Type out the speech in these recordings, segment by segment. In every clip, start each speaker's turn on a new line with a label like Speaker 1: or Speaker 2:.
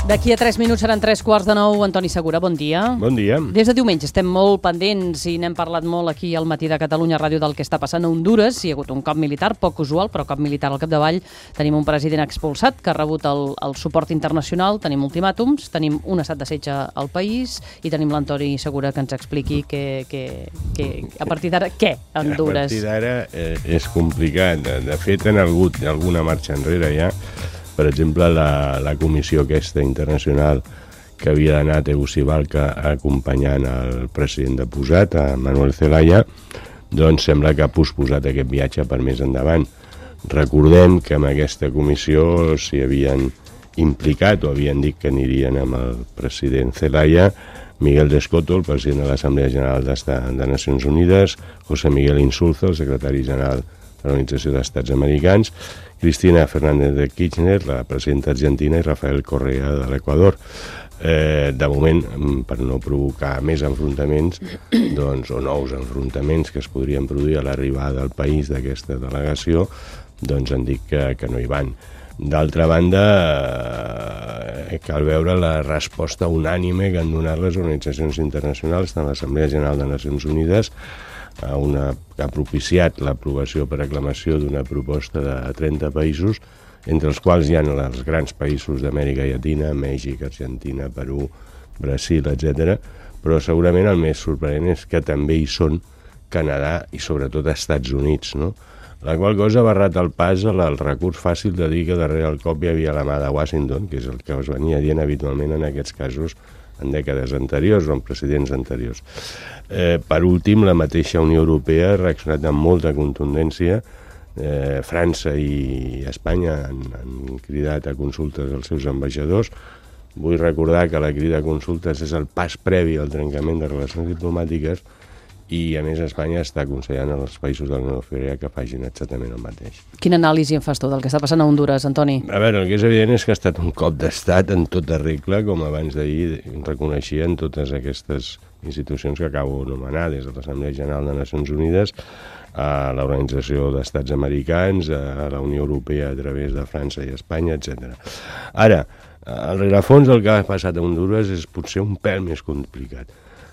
Speaker 1: D'aquí a 3 minuts seran 3:15. Antoni Segura, bon dia.
Speaker 2: Bon dia.
Speaker 1: Des de diumenge estem molt pendents i n'hem parlat molt aquí al Matí de Catalunya Ràdio del que està passant a Hondures. Hi ha hagut un cop militar, poc usual, però cop militar al capdavall. Tenim un president expulsat que ha rebut el suport internacional, tenim ultimàtums, tenim un estat de setge al país i tenim l'Antoni Segura que ens expliqui a partir d'ara què a Hondures.
Speaker 2: A partir d'ara és complicat. De fet, han hagut alguna marxa enrere ja. Per exemple, la comissió aquesta internacional que havia d'anar a Tegucigalpa acompanyant el president deposat, a Manuel Zelaya, doncs sembla que ha posposat aquest viatge per més endavant. Recordem que amb aquesta comissió s'hi havien implicat o havien dit que anirien amb el president Zelaya, Miguel Descoto, el president de l'Assemblea General de Nacions Unides, José Miguel Insulza, el secretari general de l'Organització d'Estats Americans, Cristina Fernández de Kirchner, la presidenta argentina, i Rafael Correa de l'Equador. De moment, per no provocar més enfrontaments, doncs, o nous enfrontaments que es podrien produir a l'arribada al país d'aquesta delegació, doncs han dit que no hi van. D'altra banda, cal veure la resposta unànime que han donat les organitzacions internacionals, tant l'Assemblea General de Nacions Unides, que ha propiciat l'aprovació per aclamació d'una proposta de 30 països, entre els quals hi ha els grans països d'Amèrica Llatina, Mèxic, Argentina, Perú, Brasil, etc. Però segurament el més sorprenent és que també hi són Canadà i sobretot Estats Units, no? La qual cosa ha barrat el pas al recurs fàcil de dir que darrere el cop hi havia la mà de Washington, que és el que es venia dient habitualment en aquests casos en dècades anteriors o en presidents anteriors. Per últim, la mateixa Unió Europea ha reaccionat amb molta contundència. França i Espanya han cridat a consultes als seus ambaixadors. Vull recordar que la crida a consultes és el pas previ al trencament de relacions diplomàtiques i, a més, Espanya està aconsellant als països de la Unió Europea que facin exactament el mateix.
Speaker 1: Quina anàlisi en fas tu del que està passant a Hondures, Antoni?
Speaker 2: A veure, el que és evident és que ha estat un cop d'estat en tota regla, com abans d'ahir reconeixien totes aquestes institucions que acabo d'anomenar, des de l'Assemblea General de Nacions Unides, a l'Organització d'Estats Americans, a la Unió Europea a través de França i Espanya, etc. Ara, el rerefons del que ha passat a Hondures és potser un pèl més complicat.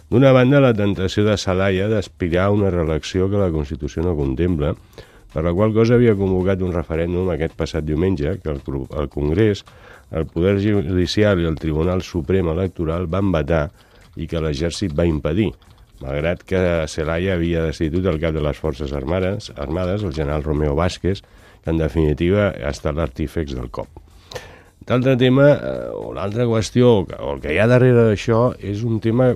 Speaker 2: D'una banda, la tentació de Zelaya d'aspirar a una reelecció que la Constitució no contempla, per la qual cosa havia convocat un referèndum aquest passat diumenge, que el Congrés, el Poder Judicial i el Tribunal Suprem Electoral van vetar i que l'Exèrcit va impedir, malgrat que Zelaya havia destituït el cap de les Forces Armades, el general Romeo Vázquez, que en definitiva ha estat l'artífex del cop. L'altre tema, o l'altra qüestió, o el que hi ha darrere d'això, és un tema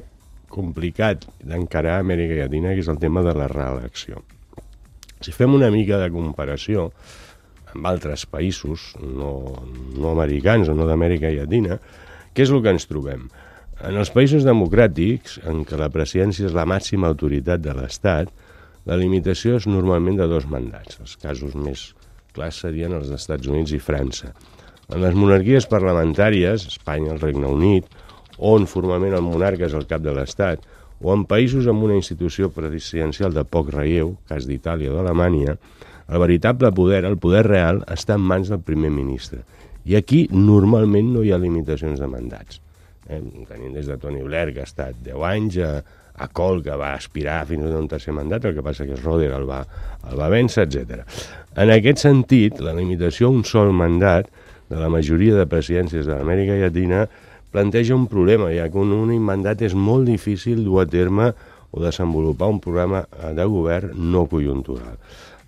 Speaker 2: complicat d'encarar a Amèrica Llatina, que és el tema de la reelecció. Si fem una mica de comparació amb altres països no americans o no d'Amèrica Llatina, què és el que ens trobem? En els països democràtics, en què la presidència és la màxima autoritat de l'Estat, la limitació és normalment de 2 mandats. Els casos més clars serien els dels Estats Units i França. En les monarquies parlamentàries, Espanya, el Regne Unit, on formalment el monarca és el cap de l'Estat, o en països amb una institució presidencial de poc relleu, cas d'Itàlia o d'Alemanya, el veritable poder, el poder real, està en mans del primer ministre. I aquí normalment no hi ha limitacions de mandats. Tenim des de Tony Blair, que ha estat 10 anys, a Kohl, que va aspirar fins a un tercer mandat, el que passa que Schröder el va vèncer, etc. En aquest sentit, la limitació a un sol mandat de la majoria de presidències de l'Amèrica Llatina planteja un problema, ja que un únic mandat és molt difícil dur a terme o desenvolupar un programa de govern no conjuntural.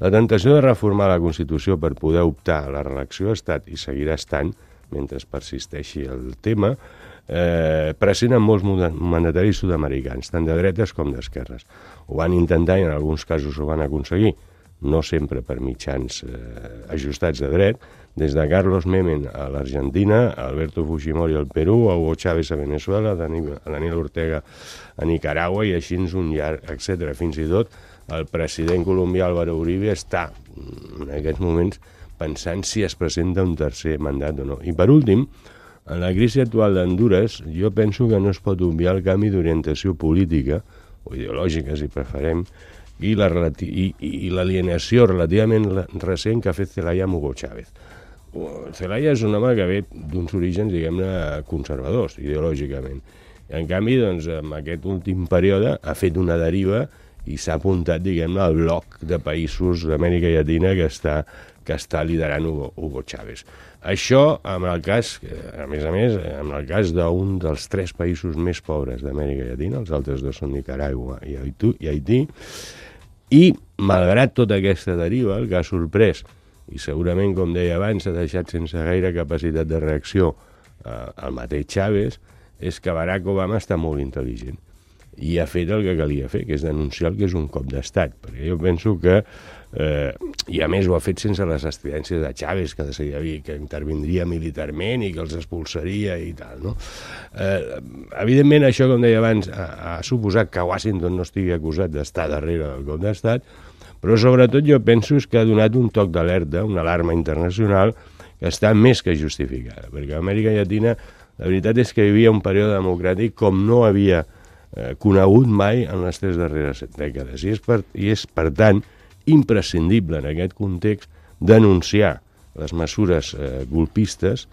Speaker 2: La tentació de reformar la Constitució per poder optar a la reelecció ha estat i seguirà estant, mentre persisteixi el tema, present en molts mandataris sud-americans, tant de dretes com d'esquerres. Ho van intentar i en alguns casos ho van aconseguir, no sempre per mitjans ajustats de dret, des de Carlos Menem a l'Argentina, Alberto Fujimori al Perú, a Hugo Chávez a Venezuela, a Daniel Ortega a Nicaragua i així un llarg, etc. Fins i tot el president colombià Álvaro Uribe està en aquests moments pensant si es presenta un tercer mandat o no. I per últim, en la crisi actual d'Hondures, jo penso que no es pot obviar el canvi d'orientació política, o ideològica si preferem, i l'alienació relativament recent que ha fet Zelaya amb Hugo Chávez. Zelaya és un home que ve d'uns orígens, diguem-ne, conservadors, ideològicament. En canvi, doncs, en aquest últim període ha fet una deriva i s'ha apuntat, diguem-ne, al bloc de països d'Amèrica Llatina que està liderant Hugo Chávez. Això, en el cas, a més, en el cas d'un dels 3 països més pobres d'Amèrica Llatina, els altres 2 són Nicaragua i Haití, i, malgrat tota aquesta deriva, el que ha sorprès, i segurament, com deia abans, ha deixat sense gaire capacitat de reacció el mateix Chávez, és que Barack Obama està molt intel·ligent i ha fet el que calia fer, que és denunciar el que és un cop d'estat, perquè jo penso que, i a més ho ha fet sense les estridències de Chávez, que intervindria militarment i que els expulsaria i tal, no? Evidentment, això, com deia abans, ha suposat que Washington no estigui acusat d'estar darrere del cop d'estat, però sobretot jo penso que ha donat un toc d'alerta, una alarma internacional que està més que justificada, perquè a Amèrica Llatina la veritat és que vivia un període democràtic com no havia conegut mai en les 3 darreres dècades. I és, per tant, imprescindible en aquest context denunciar les mesures golpistes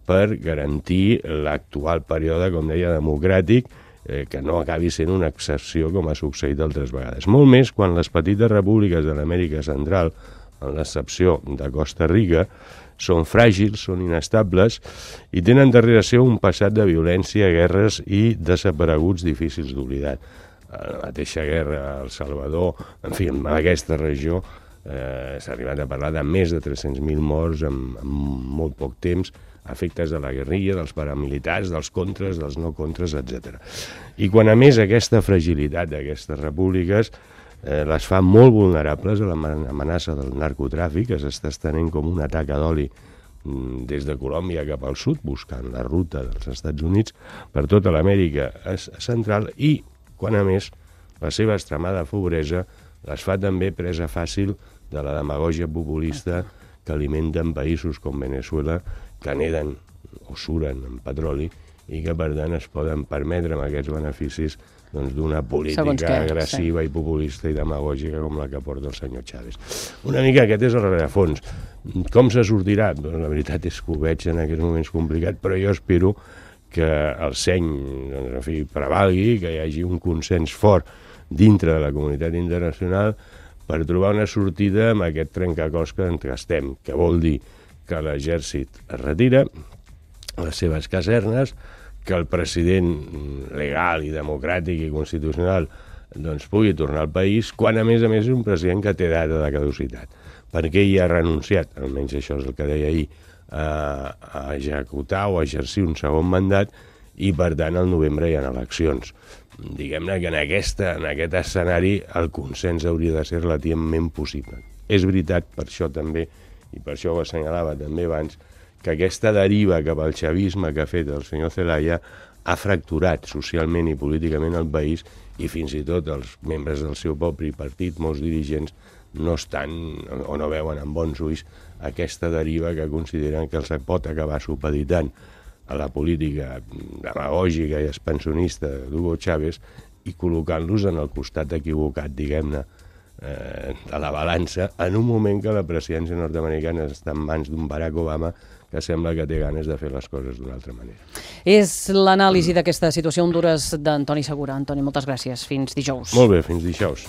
Speaker 2: per garantir l'actual període, com deia, democràtic, que no acabi sent una excepció com ha succeït altres vegades. Molt més quan les petites repúbliques de l'Amèrica Central, en l'excepció de Costa Rica, són fràgils, són inestables i tenen darrere seu un passat de violència, guerres i desapareguts difícils d'oblidar. La mateixa guerra a El Salvador, en fi, en aquesta regió s'ha arribat a parlar de més de 300.000 morts en molt poc temps, efectes de la guerrilla, dels paramilitars, dels contres, dels no contres, etc. I quan, a més, aquesta fragilitat d'aquestes repúbliques les fa molt vulnerables a l'amenaça del narcotràfic, que s'està estenent com una taca d'oli des de Colòmbia cap al sud, buscant la ruta dels Estats Units per tota l'Amèrica central, i quan, a més, la seva extremada pobresa les fa també presa fàcil de la demagògia populista que alimenten països com Venezuela, que neden o suren en petroli i que, per tant, es poden permetre amb aquests beneficis d'una política agressiva i populista i demagògica com la que porta el senyor Chávez. Una mica aquest és el rerefons. Com se sortirà? Doncs la veritat és que ho veig en aquests moments complicat, però jo espero que el seny prevalgui, que hi hagi un consens fort dintre de la comunitat internacional per trobar una sortida amb aquest trencaclosca en què estem, que vol dir que l'exèrcit es retira, les seves casernes, que el president legal i democràtic i constitucional pugui tornar al país, quan a més és un president que té data de caducitat, perquè ell ha renunciat, almenys això és el que deia ahir, a executar o a exercir un segon mandat, i per tant al novembre hi ha eleccions. Diguem-ne que en aquest escenari el consens hauria de ser relativament possible. És veritat, per això també, i per això ho assenyalava també abans, que aquesta deriva cap al xavisme que ha fet el senyor Zelaya ha fracturat socialment i políticament el país, i fins i tot els membres del seu propi partit, molts dirigents, no estan o no veuen amb bons ulls aquesta deriva que consideren que els pot acabar supeditant a la política demagògica i expansionista d'Hugo Chávez i col·locant-los en el costat equivocat, diguem-ne, de la balança, en un moment que la presidència nord-americana està en mans d'un Barack Obama que sembla que té ganes de fer les coses d'una altra manera.
Speaker 1: És l'anàlisi d'aquesta situació a Hondures d'Antoni Segura. Antoni, moltes gràcies. Fins dijous.
Speaker 2: Molt bé, fins dijous.